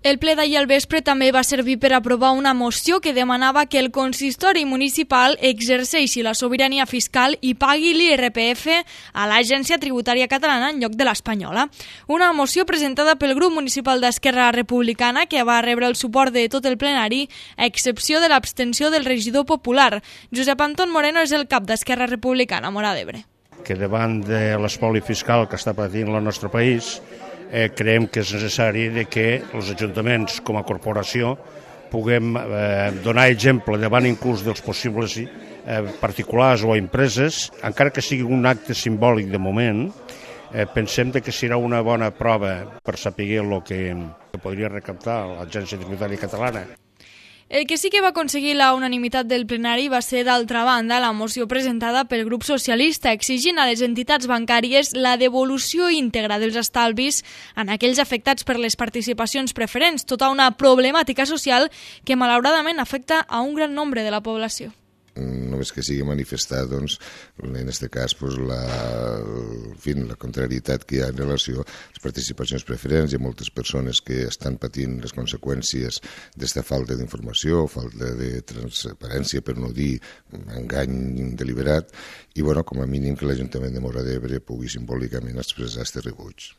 El ple d'ahir al vespre també va servir per aprovar una moció que demanava que el consistori municipal exerceixi la sobirania fiscal i pagui l'IRPF a l'Agència Tributària Catalana en lloc de l'espanyola. Una moció presentada pel grup municipal d'Esquerra Republicana que va rebre el suport de tot el plenari, a excepció de l'abstenció del regidor popular. Josep Anton Moreno és el cap d'Esquerra Republicana a Móra d'Ebre. Que davant de l'espoli fiscal que està patint el nostre país, creiem que és necessari que els ajuntaments com a corporació puguem donar exemple davant inclús dels possibles particulars o empreses, encara que sigui un acte simbòlic de moment. Pensem que serà una bona prova per saber el que podria recaptar l'Agència Tributària Catalana. El que sí que va aconseguir la unanimitat del plenari va ser, d'altra banda, la moció presentada pel grup socialista exigint a les entitats bancàries la devolució íntegra dels estalvis en aquells afectats per les participacions preferents, tota una problemàtica social que malauradament afecta a un gran nombre de la població. Només que sigui manifestar, doncs, en aquest cas, la contrarietat que hi ha en relació a les participacions preferents. Hi ha moltes persones que estan patint les conseqüències d'aquesta falta d'informació, falta de transparència, per no dir engany deliberat, i, com a mínim, que l'Ajuntament de Móra d'Ebre pugui simbòlicament expressar aquest rebuig.